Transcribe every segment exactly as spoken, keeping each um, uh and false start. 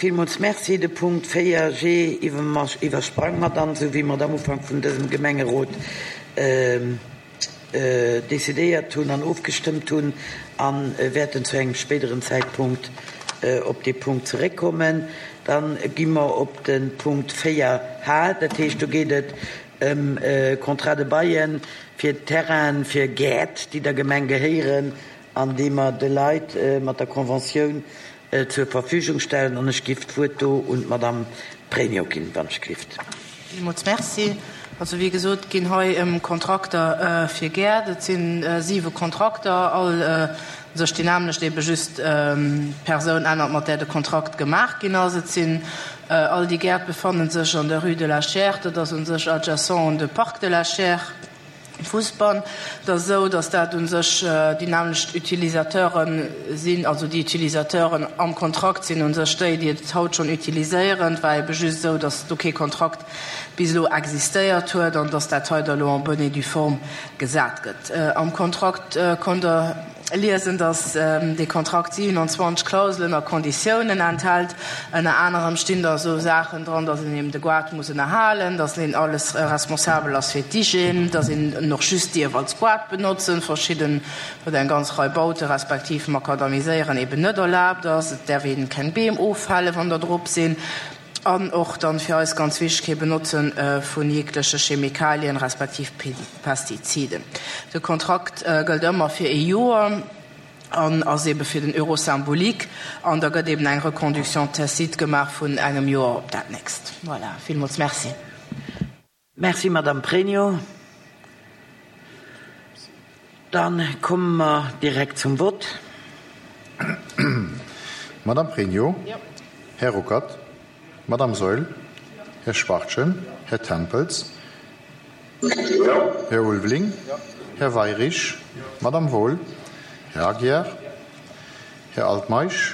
Villmools Merci. De Punkt véier G iwwersprange mer dann, esou wéi mer et am Ufank vun dësem Gemengerot decidéiert hunn an ofgestëmmt hunn, a wäerten zu engem spéideren Zäitpunkt op dee Punkt zeréckkommen. Da gi mer op de Punkt véier H, dat heescht do geet et ëm Contrat de bail fir Terrainen, fir Gäert, déi der Gemeng gehéieren an déi mer de Leit mat der Conventioun zur Verfügung stellen. An ech giff d'Wuert do un d'Madame Pregno ginn, wann ech gelift. Villmools Merci. Also wéi gesot, ginn hei ëm Kontrakter fir Gäert. Et si siwe Kontrakter, all sech déi nämmlecht, ebe just d'Persoun ännert, mat där de Kontrakt gemaach ginn ass. Et sinn all déi Gäert befanne sech an der Rue de la Chiers, dat ass u sech adjacent un de Parc de la Chiers. Fussbann. Et ass esou, datt dat u sech déi nämmlecht Utilisateure sinn, also déi Utilisateuren am Kontrakt sinn u sech déi, déi et haut schonn utiliséieren. Et war ebe just esou, datt do kee Kontrakt bis elo existéiert huet an datt dat hei da elo en bonne et due forme gesat gëtt. Am Kontrakt konnt Der liesen, datt dee Kontrakt siwenanzwanzeg Klauselen a Konditiounen enthält. Ënner anerem stinn da esou Saachen dran, datt een eben de Goart muss ënnerhalen, datt een alles responsabel ass fir d'Hygiène, datt een en och just dierf als Goart benotzen, verschidden oder eng ganz Rei Baute respektiv Makadamiséieren eben net erlaabt ass, et däerf een keng Beem offälle wann der drop sinn, an och dann fir eis ganz wichteg, kee Benotze vun jegleche Chemikalien respektiv Pestiziden. De Kontrakt gëllt ëmmer fir ee Joer an ass ebe fir den Euro symbolique an da gëtt eben eng Reconduction tacite gemaach vun engem Joer op dat nächst. Voilà, villmools Merci. Merci, Madame Pregno. Dann komme mer direkt zum Vott. Madame Pregno. Här Ruckert. Madame Saeul. Här Schwachtgen. Här Tempels. Här Ulveling. Här Weyrich. Madame Wohl. Här Aguiar. Här Altmeisch.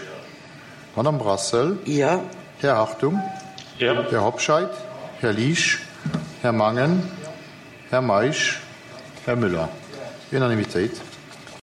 Madame Brassel. Jo. Här Hartung. Här Hobscheit. Här Liesch. Här Mangen. Här Meisch. Här Müller. Unanimitéit.